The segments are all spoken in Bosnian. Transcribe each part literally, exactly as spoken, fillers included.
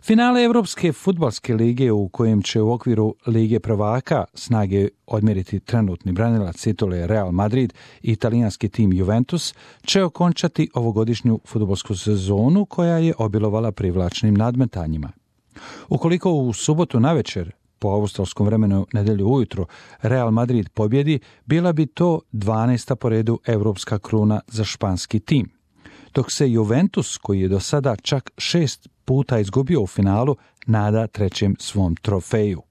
Finale Evropske fudbalske lige u kojem će u okviru Lige prvaka snage odmjeriti trenutni branilac titule Real Madrid i italijanski tim Juventus će okončati ovogodišnju fudbalsku sezonu koja je obilovala privlačnim nadmetanjima. Ukoliko u subotu navečer, po australskom vremenu nedjelju ujutro, Real Madrid pobjedi, bila bi to dvanaesta po redu evropska kruna za španski tim. Dok se Juventus, koji je do sada čak šest puta izgubio u finalu, nada trećem svom trofeju.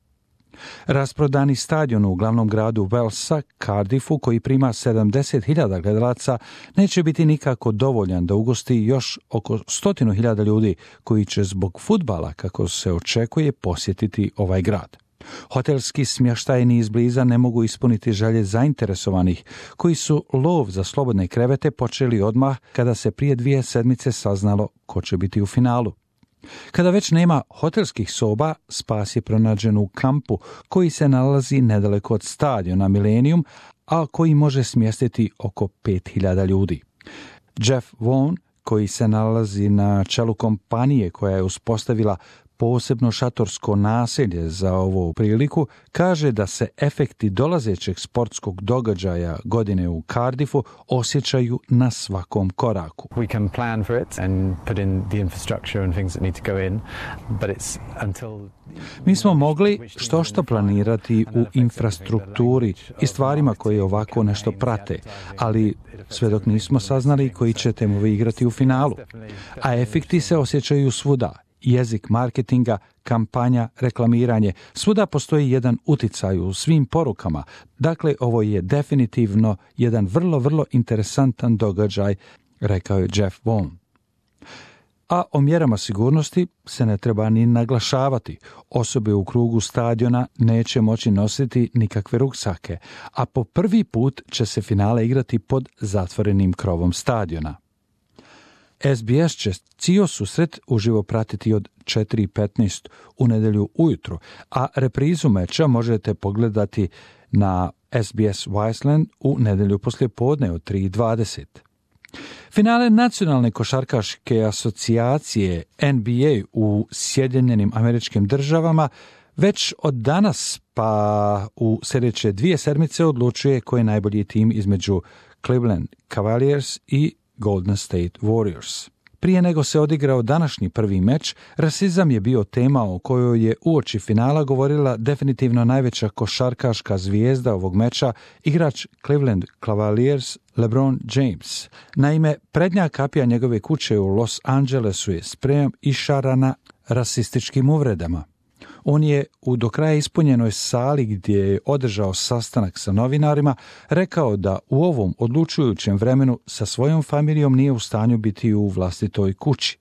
Rasprodani stadion u glavnom gradu Walesa, Cardiffu, koji prima sedamdeset hiljada gledalaca, neće biti nikako dovoljan da ugosti još oko stotinu hiljada ljudi koji će zbog fudbala, kako se očekuje, posjetiti ovaj grad. Hotelski smještajni izbliza ne mogu ispuniti želje zainteresovanih, koji su lov za slobodne krevete počeli odmah kada se prije dvije sedmice saznalo ko će biti u finalu. Kada već nema hotelskih soba, spas je pronađen u kampu koji se nalazi nedaleko od stadiona Millennium, a koji može smjestiti oko pet hiljada ljudi. Jeff Vaughn, koji se nalazi na čelu kompanije koja je uspostavila posebno šatorsko naselje za ovu priliku, kaže da se efekti dolazećeg sportskog događaja godine u Cardiffu osjećaju na svakom koraku. We can plan for it and put in the infrastructure and things that need to go in, but it's until Mi smo mogli što što planirati u infrastrukturi i stvarima koje ovako nešto prate, ali sve dok nismo saznali koji će timovi igrati u finalu. A efekti se osjećaju svuda. Jezik marketinga, kampanja, reklamiranje, svuda postoji jedan uticaj u svim porukama. Dakle, ovo je definitivno jedan vrlo, vrlo interesantan događaj, rekao je Jeff Vaughn. A o mjerama sigurnosti se ne treba ni naglašavati. Osobe u krugu stadiona neće moći nositi nikakve ruksake, a po prvi put će se finale igrati pod zatvorenim krovom stadiona. S B S će cijeli susret uživo pratiti od četiri petnaest u nedjelju ujutro, a reprizu meča možete pogledati na S B S Wiseland u nedjelju poslijepodne od tri dvadeset. Finale Nacionalne košarkaške asocijacije N B A u Sjedinjenim Američkim Državama već od danas pa u sljedeće dvije sedmice odlučuje koji je najbolji tim između Cleveland Cavaliers i Golden State Warriors. Prije nego se odigrao današnji prvi meč, rasizam je bio tema o kojoj je uoči finala govorila definitivno najveća košarkaška zvijezda ovog meča, igrač Cleveland Cavaliers LeBron James. Naime, prednja kapija njegove kuće u Los Angelesu je sprejom išarana rasističkim uvredama. On je u do kraja ispunjenoj sali gdje je održao sastanak sa novinarima rekao da u ovom odlučujućem vremenu sa svojom familijom nije u stanju biti u vlastitoj kući.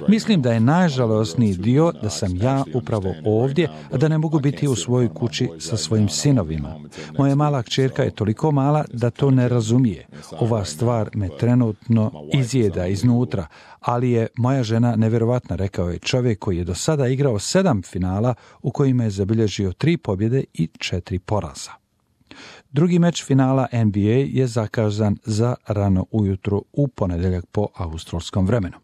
Mislim da je najžalosniji dio da sam ja upravo ovdje, a da ne mogu biti u svojoj kući sa svojim sinovima. Moja mala kćerka je toliko mala da to ne razumije. Ova stvar me trenutno izjeda iznutra, ali je moja žena nevjerovatna, rekao je čovjek koji je do sada igrao sedam finala u kojima je zabilježio tri pobjede i četiri poraza. Drugi meč finala N B A je zakazan za rano ujutro u ponedjeljak po australskom vremenu.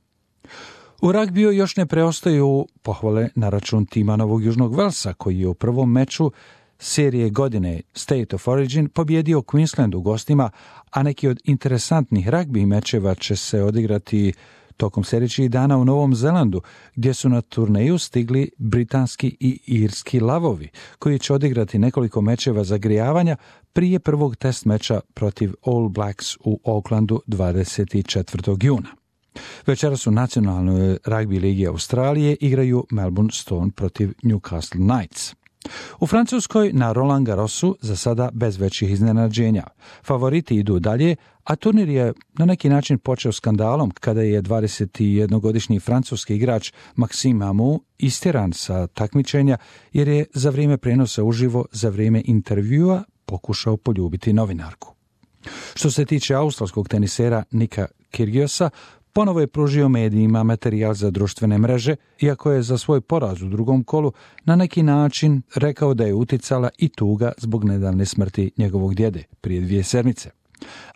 U ragbiju još ne preostaju pohvale na račun tima Novog Južnog Walesa, koji je u prvom meču serije godine State of Origin pobjedio Queensland u gostima, a neki od interesantnih ragbi mečeva će se odigrati tokom sljedećih dana u Novom Zelandu, gdje su na turneju stigli britanski i irski lavovi, koji će odigrati nekoliko mečeva zagrijavanja prije prvog test meča protiv All Blacks u Aucklandu dvadeset četvrtog juna. Večeras u nacionalnoj ragbi ligi Australije igraju Melbourne Storm protiv Newcastle Knights. U Francuskoj na Roland Garrosu za sada bez većih iznenađenja. Favoriti idu dalje, a turnir je na neki način počeo skandalom kada je dvadesetjednogodišnji francuski igrač Maxime Amou istjeran sa takmičenja jer je za vrijeme prenosa uživo za vrijeme intervjua pokušao poljubiti novinarku. Što se tiče australskog tenisera Nika Kyrgiosa, ponovo je pružio medijima materijal za društvene mreže, iako je za svoj poraz u drugom kolu na neki način rekao da je uticala i tuga zbog nedavne smrti njegovog djede prije dvije sedmice.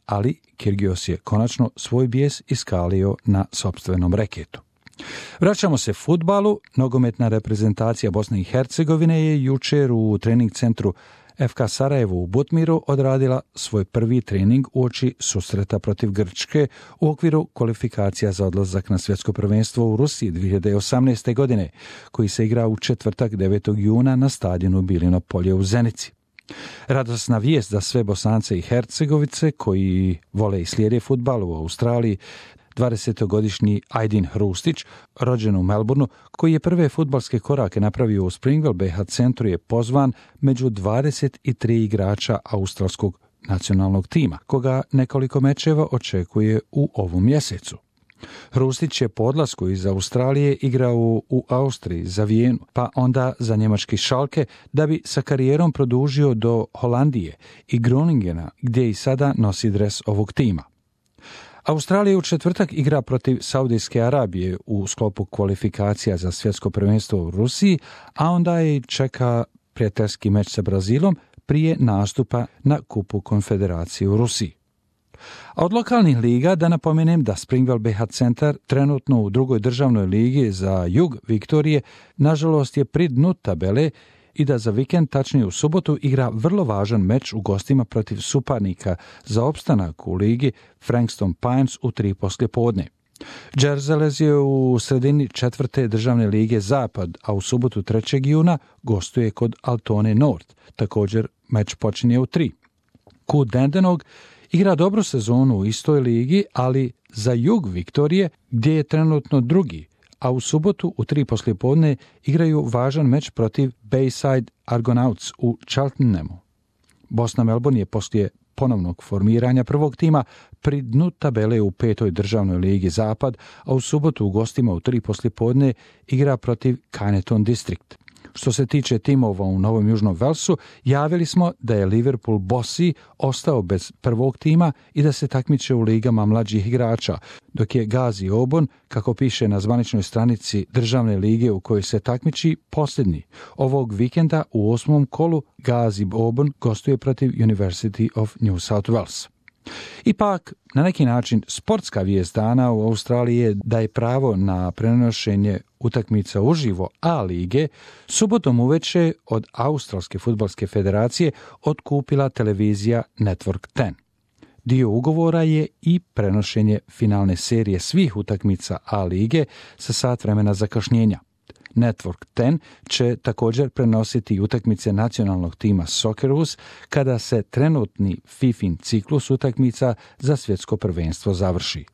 Ali Kyrgios je konačno svoj bijes iskalio na sopstvenom reketu. Vraćamo se fudbalu. Nogometna reprezentacija Bosne i Hercegovine je jučer u trening centru F K Sarajevo u Butmiru odradila svoj prvi trening uoči susreta protiv Grčke u okviru kvalifikacija za odlazak na svjetsko prvenstvo u Rusiji dvije hiljade osamnaeste. godine, koji se igra u četvrtak devetog juna na stadionu Bilino polje u Zenici. Radosna vijest za sve Bosance i Hercegovice koji vole i slijede fudbal u Australiji. dvadesetogodišnji Ajdin Hrustić, rođen u Melbourneu, koji je prve fudbalske korake napravio u Springville B H centru, je pozvan među dvadeset tri igrača australskog nacionalnog tima, koga nekoliko mečeva očekuje u ovom mjesecu. Hrustić je po odlasku iz Australije igrao u Austriji za Vijenu, pa onda za njemački Schalke, da bi sa karijerom produžio do Holandije i Groningena, gdje i sada nosi dres ovog tima. Australija u četvrtak igra protiv Saudijske Arabije u sklopu kvalifikacija za svjetsko prvenstvo u Rusiji, a onda je čeka prijateljski meč sa Brazilom prije nastupa na Kupu Konfederacije u Rusiji. A od lokalnih liga da napomenem da Springville B H centar trenutno u drugoj državnoj ligi za jug Viktorije nažalost je pri dnu tabele i da za vikend, tačnije u subotu, igra vrlo važan meč u gostima protiv suparnika za opstanak u ligi Frankston Pines u tri poslijepodne. Džerzelez je u sredini četvrte državne lige Zapad, a u subotu trećeg juna gostuje kod Altone Nord. Također meč počinje u tri. Kut Dandenong igra dobru sezonu u istoj ligi, ali za jug Viktorije, gdje je trenutno drugi, a u subotu u tri poslijepodne igraju važan meč protiv Bayside Argonauts u Cheltenhamu. Bosna Melbourne je poslije ponovnog formiranja prvog tima pri dnu tabele u petoj državnoj ligi Zapad, a u subotu u gostima u tri poslijepodne igra protiv Kyneton District. Što se tiče timova u Novom Južnom Velsu, javili smo da je Liverpool Bossy ostao bez prvog tima i da se takmiče u ligama mlađih igrača, dok je Gazi Obon, kako piše na zvaničnoj stranici državne lige u kojoj se takmiči, posljednji. Ovog vikenda u osmom kolu Gazi Obon gostuje protiv University of New South Wales. Ipak, na neki način, sportska vijest dana u Australiji je da je pravo na prenošenje utakmica uživo A lige subotom uveče od Australske fudbalske federacije otkupila televizija Network deset. Dio ugovora je i prenošenje finalne serije svih utakmica A lige sa sat vremena zakašnjenja. Network deset će također prenositi utakmice nacionalnog tima Socceroos kada se trenutni Fifin ciklus utakmica za svjetsko prvenstvo završi.